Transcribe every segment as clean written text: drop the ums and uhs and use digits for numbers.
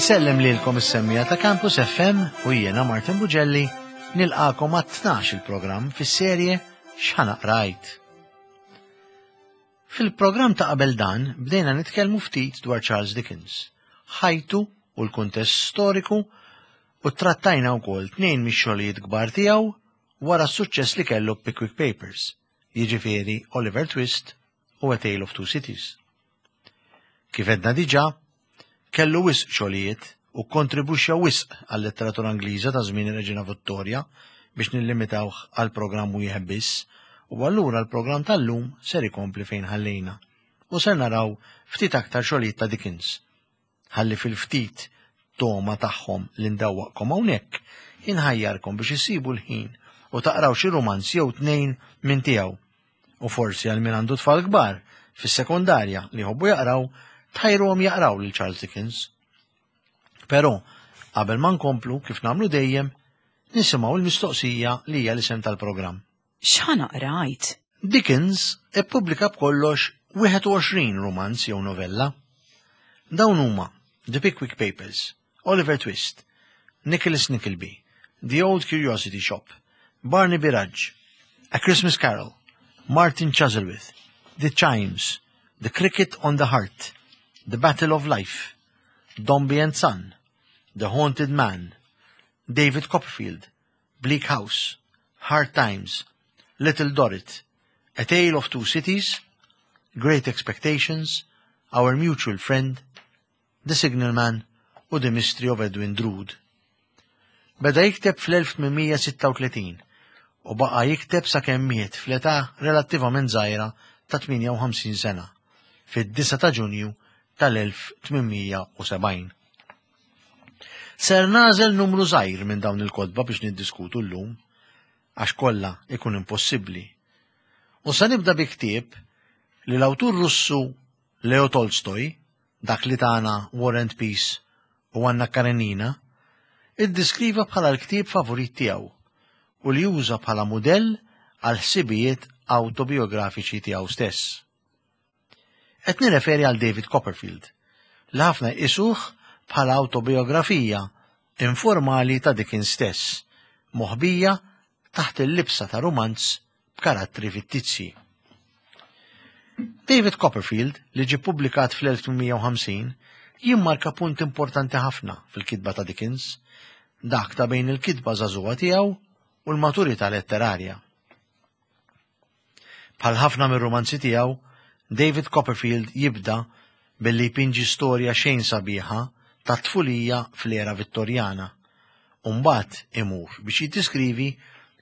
Insellem lilkom is-semmija ta' Campus FM u jiena Martin Bugelli nilqakom għat-12 il-programm fis-serje X'ħa Qrajt. Fil-programm ta' qabel dan bdejna nitkellmu ftit dwar Charles Dickens, ħajtu u l-kuntest storiku u trattajna wkoll tnejn mix-xogħlijiet kbar tiegħu wara s-suċċess li kellu Pickwick Papers, jiġifieri Oliver Twist u A Tale of Two Cities. Kif għedna diġà, kellu wisq xogħlijiet u kkontribwixxa wisq għal-letteratura Ingliża ta' żmien ir-Reġina Vittorja biex nillimitawh għal programm wieħed biss u allura l-programm tal-lum ser ikompli fejn ħallejna u ser naraw ftit aktar xogħlijiet ta' Dickens. Ħalli fil-ftit togħma tagħhom li ndawwaqkom hawnhekk, inħajjarkom biex issibu l-ħin u taqraw xi rumanz jew tnejn minn tiegħu. U forsi għal min għandu tfal kbar fis-sekondarja li jħobbu jaqraw, tħajruhom jaqraw lil Charles Dickens. Però, qabel ma nkomplu kif nagħmlu dejjem, nisimgħu l-mistoqsija li hija l-isem tal-programm. X'ħa naqra għid? Dickens ippubblika b'kollox 21 rumanz jew novella. Dawn huma The Pickwick Papers, Oliver Twist, Nicholas Nickleby, The Old Curiosity Shop, Barnaby Rudge, A Christmas Carol, Martin Chuzzlewit, The Chimes, The Cricket on the Heart, The Battle of Life, Dombey and Son, The Haunted Man, David Copperfield, Bleak House, Hard Times, Little Dorrit, A Tale of Two Cities, Great Expectations, Our Mutual Friend, The Signalman u The Mystery of Edwin Drood. Beda jikteb fl-1836 u baqa' jikteb sakemm miet fl-età relattivament żgħira ta' 58 sena, fid-9 ta' Ġunju tal-1870. Ser nagħżel numru żgħir minn dawn il-kotba biex niddiskutu llum, għax kollha ikun impossibbli. U se nibda bi ktieb li l-awtur Russu Leo Tolstoj, dak li tana War and Peace u Anna Karenina, iddiskriva bħala l-ktieb favorit tiegħu u li uża bħala mudell għal ħsibijiet awtobiografiċi tiegħu stess. Qed nirreferi għal David Copperfield, li ħafna jqisuh bħala awtobiografija informali ta' Dickens stess, moħbija taħt il-libsa ta' rumanz b'karattri fittizji. David Copperfield, li ġie ppubblikat fl-1850, jimmarka punt importanti ħafna fil-kitba ta' Dickens, dak ta' bejn il-kitba żagħżugħa tiegħu u l-maturità letterarja. Bħal ħafna mir-rumanzi tiegħu, David Copperfield jibda billi jpinġi storja xejn sabiħa tat-tfulija fl-era Vittorjana u mbagħad imur biex jiddiskrivi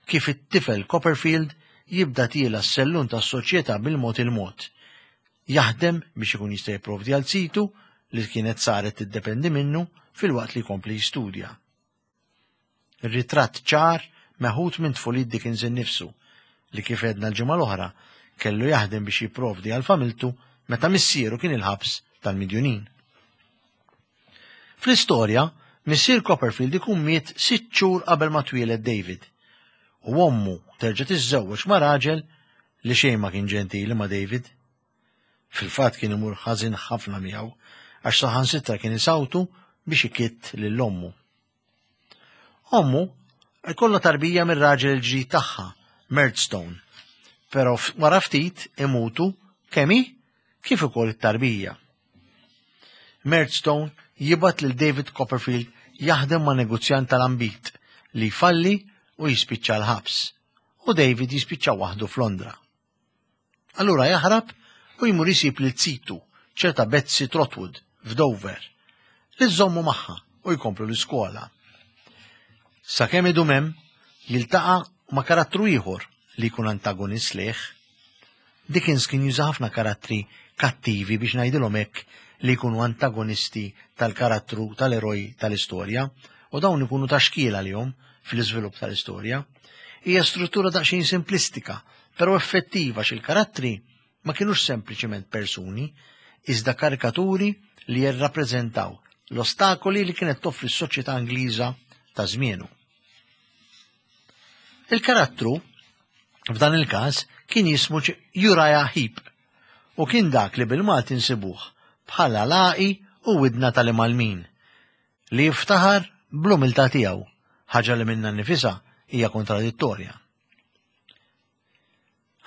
kif it-tifel Copperfield jibda tiela' s-sellun tas-soċjetà bil-mod il-mod, jaħdem biex ikun jista' jipprovdi għal zitu li kienet saret tiddependi minnu filwaqt li jkompli jistudja. Ritratt ċar meħud minn tfulit Dickens innifsu, li kif għedna l-ġimgħa l-oħra, kellu jaħdem biex jipprovdi għal familtu meta missieru kien il-ħabs tal-midjunin. Fl-istorja, missier Copperfield ikun miet sitt xhur qabel ma twieled David, u ommu terġa' tiżżewweġ ma' raġel li xejn ma kien ġentili ma' David. Fil-fatt kien imur ħażin ħafna miegħu għax saħansitra kien isawtu biex ikitt lil ommu. Ommu jkollha tarbija mir-raġel il-ġdid tagħha, Murdstone, però wara ftit imutu kemm hi kif ukoll it-tarbija. Murdstone jibgħat lil David Copperfield jaħdem ma' negozjant tal-ambit li jfalli u jispiċċa l-ħabs, u David jispiċċa waħdu f'Londra. Allura jaħrab u jmur isib lil zitu, ċerta Betsy Trotwood, f'Dover, li żżommu magħha u jkomplu l-iskola. Sakemm idum hemm, jiltaqa' ma' karattru ieħor li jkun antagonist lejh. Dickens kien juża ħafna karattri kattivi biex ngħidilhom hekk li jkunu antagonisti tal-karattru tal-eroj tal-istorja u dawn ikunu ta' xkiel għalihom fl-iżvilupp tal-istorja. Hija struttura daqsxejn simplistika però effettiva għax il-karattri ma kinux sempliċement persuni, iżda karikaturi li jirrappreżentaw l-ostakoli li kienet toffri s-soċjetà Ingliża ta' żmienu. Il-karattru, f'dan il-każ, kien jismu Uriah Heep u kien dak li bil-Malti nsibuh bħala laqi u widna tal-imgħallmin. li jiftaħar bl-umiltà tiegħu, ħaġa li minnha nnifisha hija kontradittorja.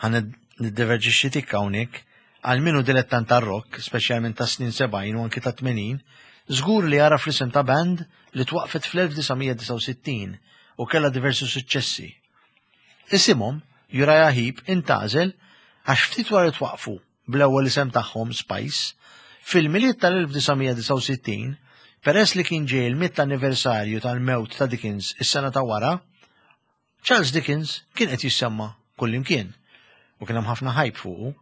Ħa niddiverġixxi tikka hawnhekk, għal min hu dilettant tar-rock, speċjalment tas-snin 70 u anki ta' 80, żgur li għaraf l-isem ta' band li twaqfet fl-1969 u kellha diversi suċċessi. Isimhom, Uriah Heep, intgħażel għax ftit wara li twaqqfu bl-ewwel isem tagħhom Spice, fil-Milied tal-1969, peress li kien ġej il-mitt anniversarju tal-mewt ta' Dickens is-sena ta' wara, Charles Dickens kien qed jissemma kullimkien u kien hemm ħafna ħajb fuqu.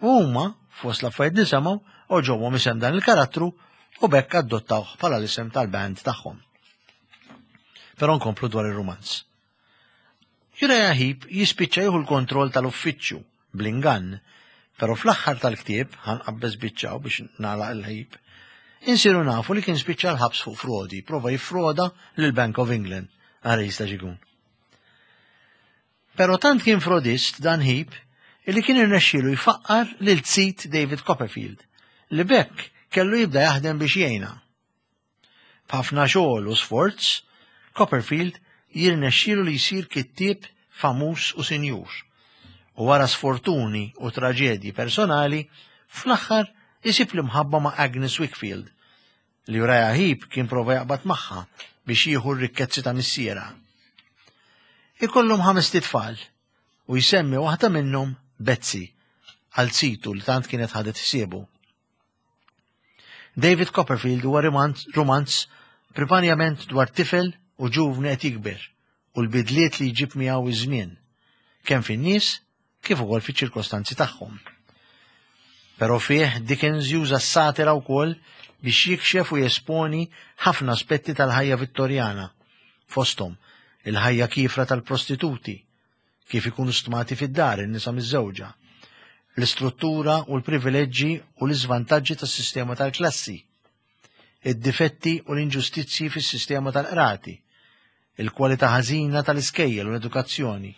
U huma, fost l-affarijiet li semgħu, oġobhom isem dan il-karattru u bekk adottawh bħala l-isem tal-band tagħhom. Però nkomplu dwar ir-rumanz. Uriah Heep jispiċċa jieħu l-kontroll tal-uffiċċju bl-ingann, però fl-aħħar tal-ktieb, ħanqabbeż biċċaw biex nagħlaq il-Heep, insiru nafu li kien spiċċa l-ħabs fuq frodi, prova jiffroda lill-Bank of England. Ara jista' x'ikun. Però tant kien frodist dan Heep illi kien irnexxielu jfaqqar lil sid David Copperfield, li b'hekk kellu jibda jaħdem biex jgħinha. B'ħafna xogħol u sforz, Copperfield jirnexxielu li jsir kittieb famuż u sinjur. U wara sfortuni u traġedji personali, fl-aħħar isib l-imħabba ma' Agnes Wickfield, li Uriah Heep kien prova jaqbad magħha biex jieħu r-rikkezzi ta' missierha. Ikollhom ħamest itfal u jsemmi waħda minnhom Betsy għal situ li tant kienet ħadet ħsiebu. David Copperfield huwa rumanz primarjament dwar tifel u ġuvni qed jikber u l-bidliet li jġib miegħu iż-żmien, kemm fin-nies kif ukoll fiċ-ċirkostanzi tagħhom. Però fih Dickens juża s-satira wkoll biex jikxef u jesponi ħafna aspetti tal-ħajja Vittorjana, fosthom il-ħajja kiefra tal-prostituti, kif ikunu stmati fid-dar in-nisa miżżewġa, l-istruttura u l-privileġġi u l-iżvantaġġi tas-sistema tal-klassi, id-difetti u l-inġustizzji fis-sistema tal-qrati, il-kwalità ħażina tal-iskejjel u l-edukazzjoni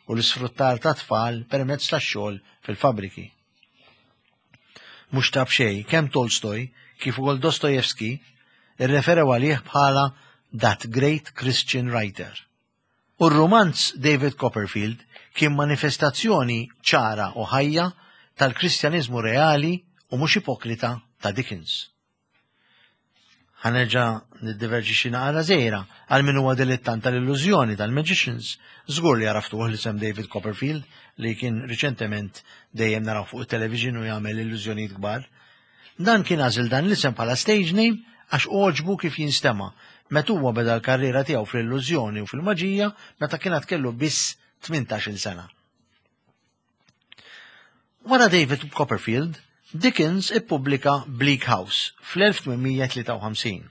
u l-isfruttar ta' tfal permezz tax-xogħol fil-fabbriki. Mhux ta' b'xejn kemm Tolstoj kif ukoll Dostoevsky irreferew għalih bħala that great Christian writer. U r-rumanz David Copperfield kien manifestazzjoni ċara u ħajja tal-Kristjaniżmu reali u mhux ipokrita ta' Dickens. Ħa nerġa' niddiverġi xi naqra żgħira għal min huwa dilettant tal-illużjoni tal-Magicians, żgur li għaraftuh l-isem David Copperfield li kien riċentement dejjem naraw fuq it-television u jagħmel illużjonijiet kbar. Dan kien għażel dan l-isem bħala stage name għax għoġbu kif jinstema' meta huwa beda l-karriera tiegħu fl-illużjoni u fil-maġija meta kien għad kellu biss 18-il sena. Wara David Copperfield, Dickens ippubblika Bleak House fl-1853.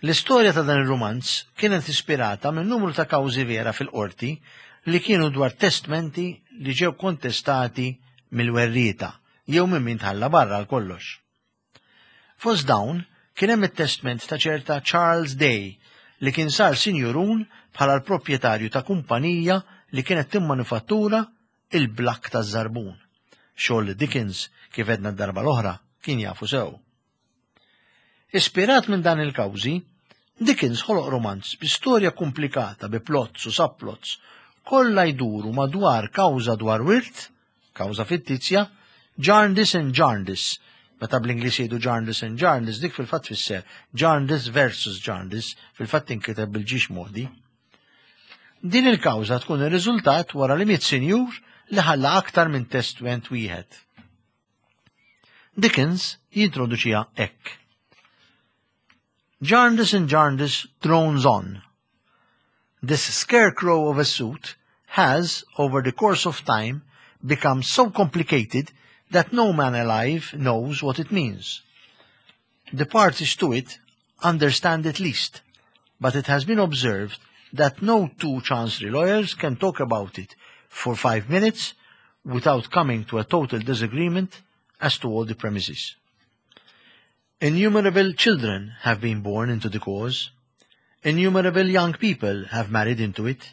L-istorja ta' dan ir-rumanz kienet ispirata minn numru ta' kawżi vera fil-qorti li kienu dwar testmenti li ġew kontestati mill-werrieta jew minn min tħalla barra għal kollox. Fost dawn kien hemm it-testment ta' ċerta Charles Day li kien sar sinjurun bħala l-proprjetarju ta' kumpanija li kienet timmanifattura il-blakk taż-żarbun, xogħol li Dickens, kif għedna d-darba l-oħra, kien jafu sew. Ispirat minn dan il-kawżi, Dickens ħoloq romanz bi storja komplikata bi plots u subplots kollha jduru madwar kawża dwar wirt Kawża fittizja, Jarndyce and Jarndyce. Meta bl-Ingliż jgħidu Jarndyce and Jarndyce, dik fil-fatt tfisser Jarndyce versus Jarndyce, fil-fatt tinkiteb bil-ġiex modi. Din il-kawża tkun ir-riżultat wara li miet sinjur li ħalla aktar minn testment wieħed. Dickens jintroduċiha hekk. Jarndyce and Jarndyce drones on. This scarecrow of a suit has, over the course of time, become so complicated that no man alive knows what it means. The parties to it understand it least, but it has been observed that no two chancery lawyers can talk about it for 5 minutes without coming to a total disagreement as to all the premises. Innumerable children have been born into the cause. Innumerable young people have married into it.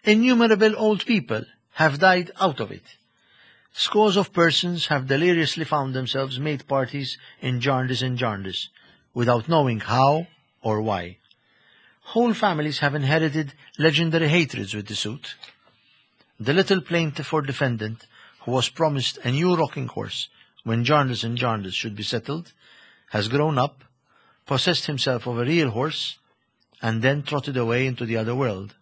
Innumerable old people have died out of it. Scores of persons have deliriously found themselves made parties in Jarndyce and Jarndyce. without knowing how or why. Whole families have inherited legendary hatreds with the suit. The little plaintiff or defendant, who was promised a new rocking horse when Jarndyce and Jarndyce should be settled, has grown up, possessed himself of a real horse, and then trotted away into the other world.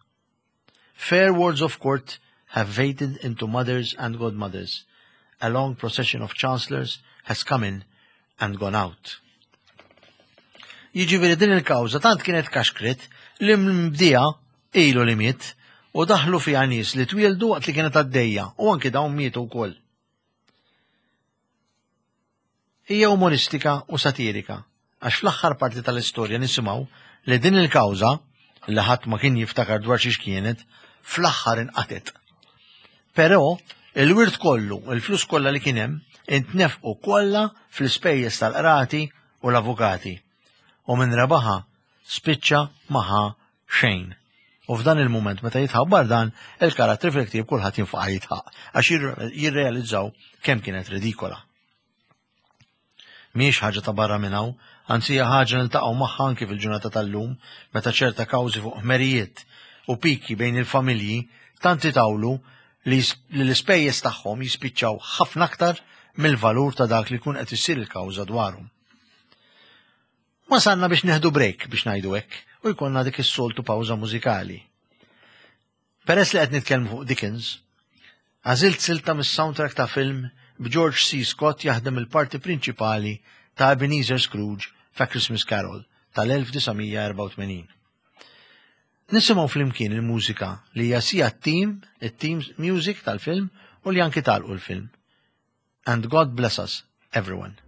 Fair wards of court have faded into mothers and godmothers. A long procession of chancellors has come in and gone out. Jiġifieri din il-kawża tant kienet kaxkret li mbdija ilu li miet u daħlu fiha nies li twieldu waqt li kienet għaddejja u anki dawn mietu wkoll. Hija umoristika u satirika għax fl-aħħar parti tal-istorja nisimgħu li din il-kawża li ħadd ma kien jiftakar dwar xiex kienet, fl-aħħar inqatet. Però il-wirt kollu, il-flus kollha li kien hemm, intnefqu kollha fl-ispejjeż tal-qrati u l-avukati. U min rebaħha spiċċa ma ħa xejn. U f'dan il-mument meta jitħabbar dan, il-karattri fil-ktieb kulħadd jinfaqa' jidħaq għax jirrealizzaw kemm kienet ridikola. Mhijiex ħaġa ta' barra minn hawn, anzi hija ħaġa niltaqgħu magħha anki fil-ġurnata tal-lum meta ċerta kawżi fuq ħmerijiet u piki bejn il-familji tant itawlu li l-ispejjeż tagħhom jispiċċaw ħafna aktar mill-valur ta' dak li jkun qed issir il-kawża dwarhom. Wasalna biex neħdu break biex ngħidu hekk u jkollna dik is-soltu pawża mużikali. Peress li qed nitkellmu fuq Dickens, għażilt silta mis-soundtrack ta' film b'George C. Scott jaħdem il-parti prinċipali ta' Ebenezer Scrooge fa' Christmas Carol tal-1984. Nisimgħu flimkien il-mużika li hija sija t-team, it-team music tal-film u li anki talqu l-film. And God bless us, everyone.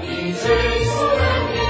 He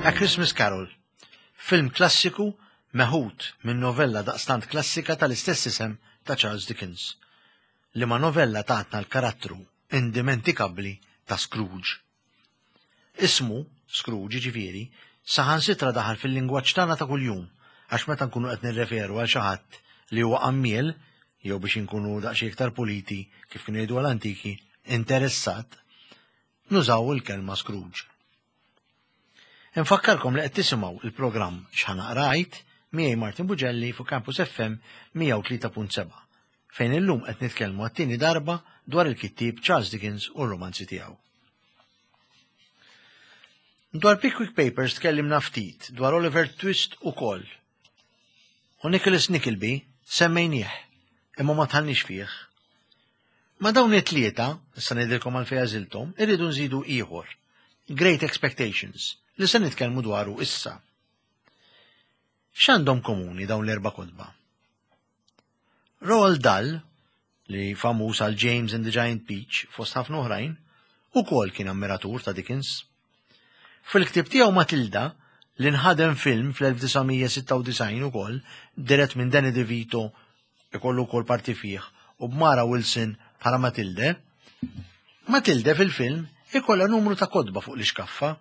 A Christmas Carol, film klassiku meħud minn novella daqstant klassika tal-istess isem ta' Charles Dickens, liema novella tatna l-karattru indimentikabbli ta' Scrooge. Ismu, Scrooge jiġifieri, saħansitra daħal fil-lingwaġġ tagħna ta' kuljum għax meta nkunu qed nirreferu għal xi ħadd li huwa qammiel, jew biex inkunu daqsxejn iktar puliti kif kienu jgħidu l-antiki, interessat, nużaw il-kelma Scrooge. Infakkarkom li qed tisimgħu il-programm X'Ħa Naqra Għid miegħi Martin Bugelli fuq Campus FM 103.7 fejn illum qed nitkellmu għat-tieni darba dwar il-kittieb Charles Dickens u r-romanzi tiegħu. Dwar Pickwick Papers tkellimna ftit dwar Oliver Twist ukoll. U Nicholas Nickleby semmejnieh, imma ma tħallniex fih. Ma' dawn it-tlieta, issa ngħidilkom għalfejn għażilthom, irridu nżidu ieħor, Great Expectations, li se nitkellmu dwaru issa. X'għandhom komuni dawn l-erba' kotba? Roald Dahl, li famuż għal James and the Giant Peach fost ħafna oħrajn, ukoll kien ammiratur ta' Dickens. Fil-ktieb tiegħu Matilda, li nħadem film fl-1996 ukoll, dirett minn Danny DeVito ikollu wkoll parti fih u b'Mara Wilson bħala Matilde. Matilde fil-film ikollha numru ta' kotba fuq l-ixkaffa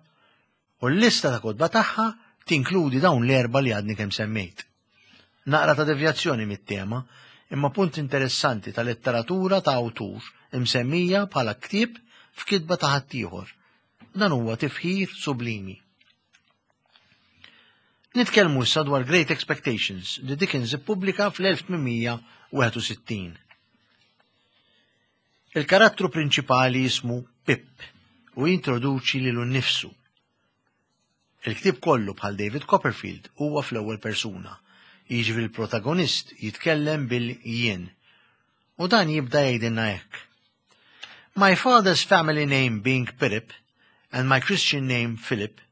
u l-lista ta' kotba tagħha tinkludi dawn l-erba' li għadni kemm semmejt. Naqra ta' devjazzjoni mit-tema, imma punt interessanti ta' letteratura ta' awtur imsemmija bħala ktieb f'kitba ta' ħaddieħor. Dan huwa tifħir sublimi. Nitkellmu issa dwar Great Expectations li Dickens ippubblika fl-1861. Il-karattru prinċipali jismu Pip u jintroduċi lilu nnifsu. Il-ktieb kollu bħal David Copperfield huwa fl-ewwel persuna, jiġifieri l-protagonist jitkellem bil-jien. U dan jibda jgħidilna hekk. My father's family name being Pirrip and my Christian name Philip,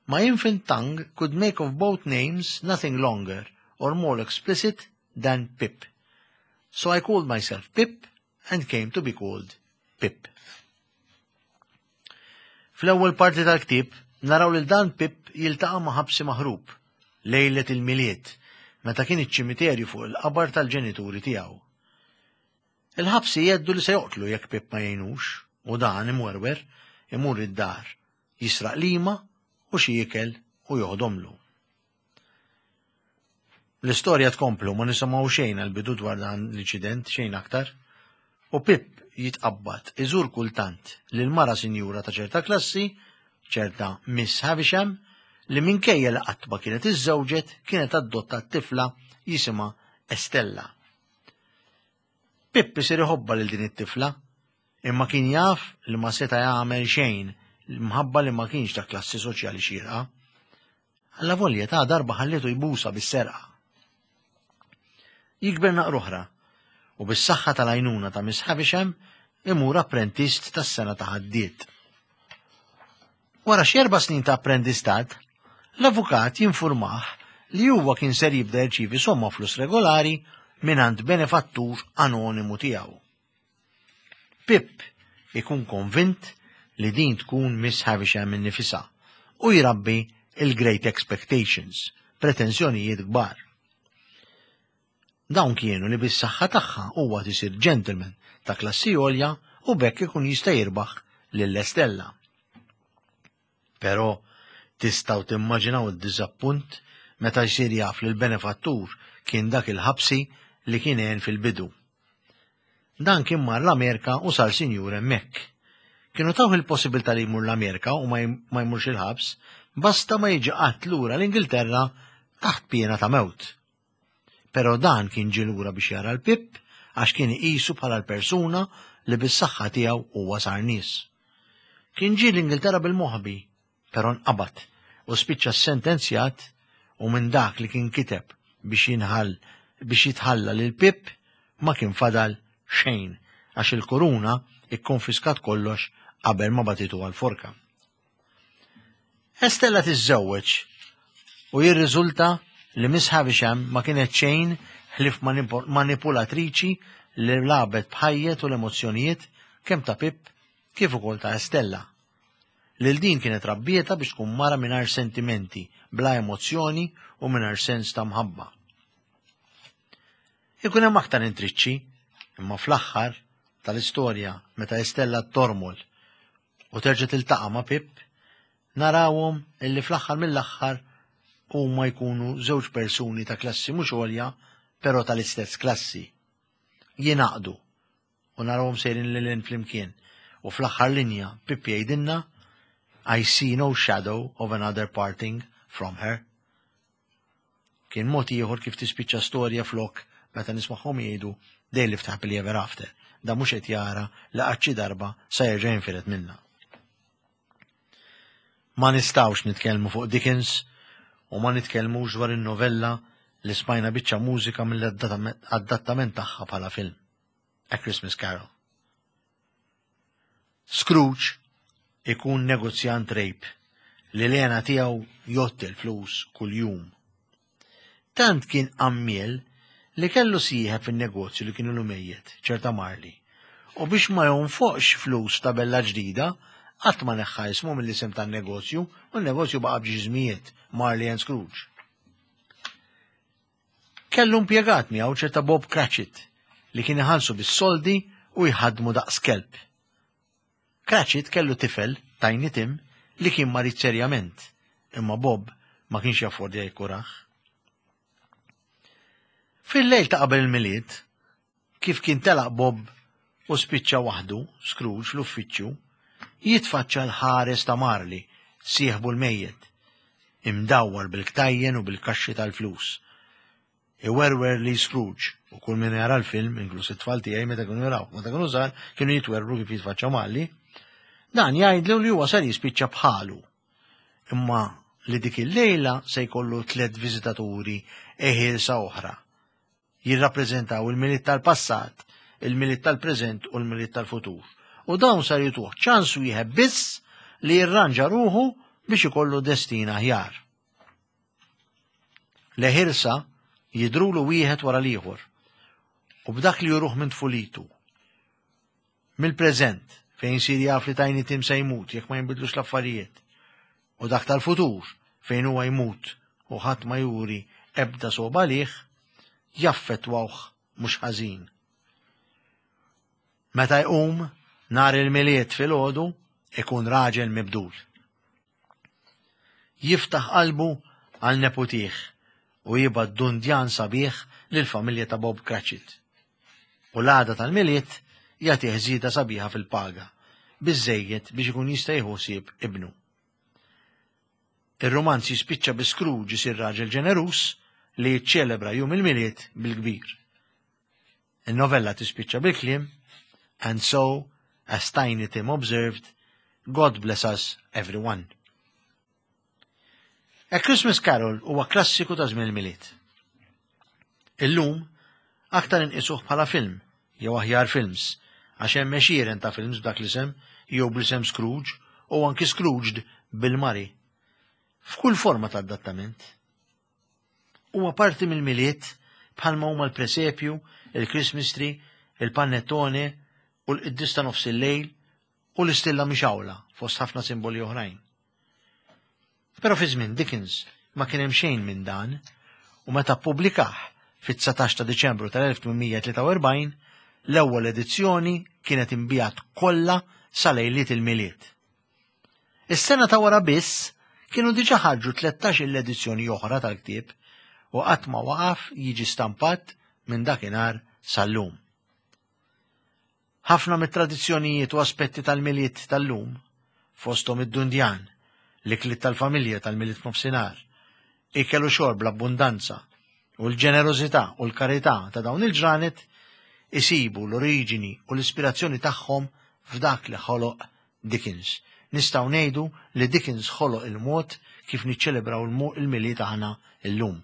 my infant tongue could make of both names nothing longer or more explicit than Pip. So I called myself Pip and came to be called Pip. Fl-ewwel parti tal-ktieb naraw lil dan Pip jiltaqa' ma' ħabsi maħrub lejlet il-Milied meta kien iċ-ċimiterju fuq il-qabar tal-ġenituri tiegħu. Il-ħabsi jgħeddu li se joqtlu jekk Pip ma jgħinux u dan imwerwer imur id-dar, jisraq lima u xi ikel u joħdomlu. L-istorja tkomplu ma nisimgħu xejn għal-bidu dwar dan l-inċident, xejn aktar. U Pip jitqabbad iżur kultant lil mara sinjura ta' ċerta klassi, ċerta Miss Havisham, li minkejja li qatt ma kienet iżżewġet kienet adottat tifla jisimha Estella. Pip isir iħobbha lil din it-tifla, imma kien jaf li ma seta' jagħmel xejn mħabba li ma kienx ta' klassi soċjali xierqa. Allavolja ta' darba ħallietu jbusa bis-serqa. Jikber naqra oħra u bis-saħħa tal-għajnuna ta' Miss Havisham imur apprentist tas-sena ta' ħaddied. Wara xi erba' snin ta' apprendistat, l-avukat jinfurmah li huwa kien ser jibda jirċievi somma flus regolari mingħand benefattur anonimu tiegħu. Pip ikun konvint li din tkun Miss Havisham innifisha u jrabbi il-Great Expectations, pretensjonijiet kbar. Dawn kienu li bis-saħħa tagħha huwa tisir gentleman ta' klassi għolja u b'hekk ikun jista' jirbaħ lil Estella. Però tistgħu timmaġinaw id-diżappunt meta jsir jaf li l-benefattur kien dak il-ħabsi li kien għen fil-bidu. Dan kien mar l-Amerika u sar sinjur hemmhekk. Kienu tawh il-possibilità li jmur l-Amerika u ma jmurx il-ħabs, basta ma jiġi qatt lura l-Ingilterra taħt piena ta' mewt. Però dan kien ġie lura biex jara l-Pip għax kien iqisu bħala l-persuna li bis-saħħa tiegħu huwa sar nies. Kien ġie l-Ingilterra bil-moħbi, però nqabad u spiċċa ssentenzjat u minn dak li kien kiteb biex jinħall biex jitħalla lil Pip ma kien fadal xejn għax il-kuruna ikkonfiskat kollox qabel ma bagħtitu għall-forka. Estella tiżżewweġ u jirriżulta li Miss Havisham ma kienet xejn ħlief manipulatriċi li lagħbet b'ħajjet u l-emozzjonijiet kemm ta' Pip kif ukoll ta' Estella. Lil din kienet rabbietha biex tkun mara mingħajr sentimenti, bla emozzjoni u mingħajr sens ta' mħabba. Ikun hemm aktar intriċċi, imma fl-aħħar tal-istorja meta Estella tormol u terġa' tiltaqa' ma' Pip, narawhom illi fl-aħħar mill-aħħar huma jkunu żewġ persuni ta' klassi mhux għolja, però tal-istess klassi. Jingħaqdu u narawhom sejrin lil hinn flimkien. U fl-aħħar linja Pip jgħidilna I see no shadow of another parting from her. Kien mod ieħor kif tispiċċa storja flok meta nismagħhom jgħidu they lived happily ever after. Da mhux qed jara li qatt xi darba sa jerġa' jinfired minnha. Ma nistgħux nitkellmu fuq Dickens u ma nitkellmux dwar in-novella li smajna biċċa mużika mill-adattament tagħha bħala film. A Christmas Carol. Scrooge ikun negozjant rejb li l-għena tiegħu jgħodd il-flus kuljum. Tant kien qammiel li kellu sieħeb fin-negozju li kien ilu mejjet, ċerta Marley. U biex ma jonfoqx flus tabella ġdida, qatt ma neħħa ismu mill-isem tan-negozju u n-negozju baqa' b'ġiżmijiet Marley and Scrooge. Kellu impjegat miegħu ċerta Bob Cratchit li kien iħallsu bis-soldi u jħaddmu daqs kelb. Cratchit kellu tifel, Tiny Tim, li kien marid serjament, imma Bob ma kienx jaffordja jikkurah. Fil-lejl ta' qabel il-Milied, kif kien telaq Bob u spiċċa waħdu, Scrooge, fl-uffiċċju, jitfaċċa l-ħares ta' Marley, sieħbu l-mejjet, imdawwar bil-ktajjen u bil-kaxxi tal-flus. Iwerwer li Scrooge, u kull min jara l-film, inkluż it-tfal tiegħi meta kienu jaraw, meta kienu żgħar, kienu jitwerwru kif jitfaċċa Marley, dan jgħidlu li huwa ser jispiċċa bħalu. Imma li dik il-lejla se jkollu tlett viżitaturi eħielsa oħra jirrappreżentaw il-Milied tal-passat, il-Milied tal-preżent u l-Milied tal-futur. U dawn sar jituh ċans wieħed biss li jirranġa ruħu biex ikollu destin aħjar. Leħirsa jidrulu wieħed wara l-ieħor u b'dak li juruh minn tfulitu. Mill-preżent, fejn isir jaf li Tiny Tim se jmut jekk ma jinbidlux l-affarijiet, u dak tal-futur, fejn huwa jmut u ħadd ma juri ebda sogħba għalih, jaffettwawh mhux ħażin. Meta jqum nhar il-Milied filgħodu ikun raġel mibdul. Jiftaħ qalbu għal neputih u jibgħat dundjan sabiħ lill-familja ta' Bob Cratchit. U l-għada tal-Milied jagħtih żieda sabiħa fil-paga, biżżejjed biex ikun jista' jieħu ħsieb ibnu. Ir-rumanz jispiċċa bi Scrooge isir raġel ġeneruż li jiċċelebra jum il-Milied bil-kbir. Il-novella tispiċċa bil-kliem And so, as Tiny Tim observed, God bless us everyone. A Christmas Carol huwa klassiku ta' żmien il-Milied. Illum, aktar inqisuh bħala film, jew aħjar films, għax hemm għexieren ta' films b'dak l-isem, jew bl-isem Scrooge, u anki Scrooged bil-Mari. F'kull forma ta' adattament. Huwa parti mill-Milied bħalma huma l-presepju, il-Christmas tree, il-panettone u l-qdis ta' nofs il-lejl u l-istilla mixgħula fost ħafna simboli oħrajn. Però fi żmien Dickens ma kien hemm xejn minn dan u meta ppubblikah fit-19 ta' Diċembru tal-1843 l-ewwel edizzjoni kienet inbiegħet kollha sa lejliet il-Milied. Is-sena ta' wara biss kienu diġà ħarġu 13-il edizzjoni oħra tal-ktieb u qatt ma waqaf jiġi stampat minn dakinhar sal-lum. Ħafna mit-tradizzjonijiet u aspetti tal-Milied tal-lum, fosthom id-dundjan, l-ikliet tal-familja tal-Milied f'nofsinhar, ikel u xorb bl-abbundanza, u l-ġenerożità u l-karità ta' dawn il-ġranet, isibu l-oriġini u l-ispirazzjoni tagħhom f'dak li ħoloq Dickens. Nistgħu ngħidu li Dickens ħoloq il-mod kif niċċelebraw il-Milied aħna llum.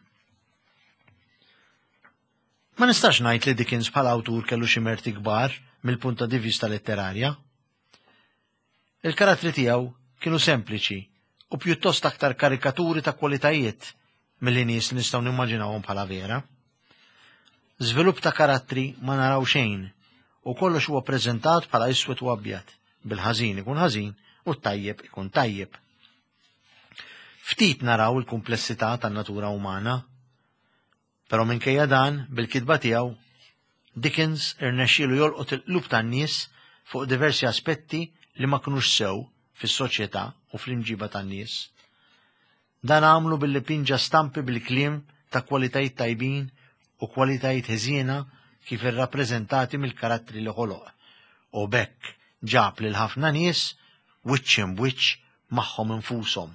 Ma nistax ngħid li Dickens bħala awtur kellu xi merti kbar mill-punt ta' vista letterarja. Il-karattri tiegħu kienu sempliċi u pjuttost aktar karikaturi ta' kwalitajiet milli nies li nistgħu nimmaġinawhom bħala vera. Żvilupp ta' karattri ma naraw xejn u kollox huwa preżentat bħala iswed u abjad, bil-ħażin ikun ħażin u t-tajjeb ikun tajjeb. Ftit naraw il-kumplessità tan-natura umana. Però minkejja dan, bil-kitba tiegħu, Dickens irnexxielu jolqot il-qlub tan-nies fuq diversi aspetti li ma kinux sew fis-soċjetà u fl-imġiba tan-nies. Dan għamlu billi pinġa stampi bil-kliem ta' kwalitajiet tajbin u kwalitajiet ħżiena kif irrappreżentati mill-karattri li ħoloq, u b'hekk ġab lil ħafna nies wiċċ imb'wiċċ magħhom infushom,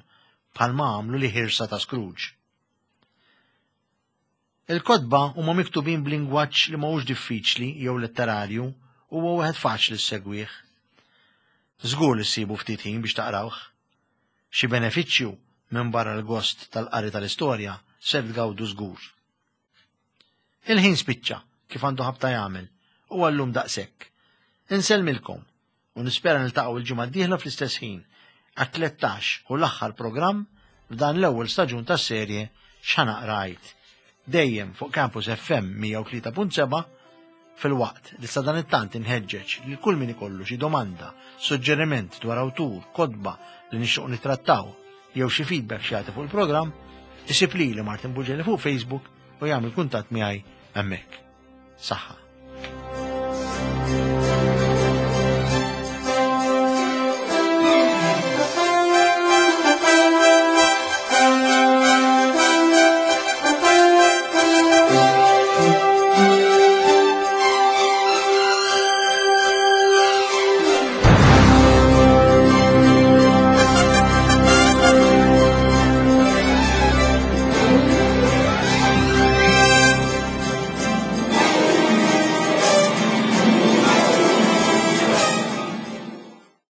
bħalma għamlu l-iħirsa ta' Scrooge. Il-kotba huma miktubin b'lingwaġġ li ma hux diffiċli jew letterarju u huwa wieħed faċli ssegwih. Żgur li ssibu ftit ħin biex taqrawh. Xi benefiċċju minbarra l-gost tal-qari tal-istorja ser tgawdu żgur. Il-ħin spiċċa kif għandu ħabta jagħmel u għallum daqshekk. Insellmilkom u nispera niltaqgħu l-ġimgħa d-dieħla fl-istess ħin għat-13 u l-aħħar programm f'dan l-ewwel staġun tas-serje X'Ħa Naqra Għid. Dejjem fuq Campus FM 103.7 filwaqt li sadanittant inħeġġeġ lil kull min ikollu xi domanda, suġġeriment dwar awtur, kotba li nixtiequ nittrattaw jew xi feedback xi fuq il-programm, isib lili Martin Bugelli fuq Facebook u jagħmel kuntatt miegħi hemmhekk. Saħħa.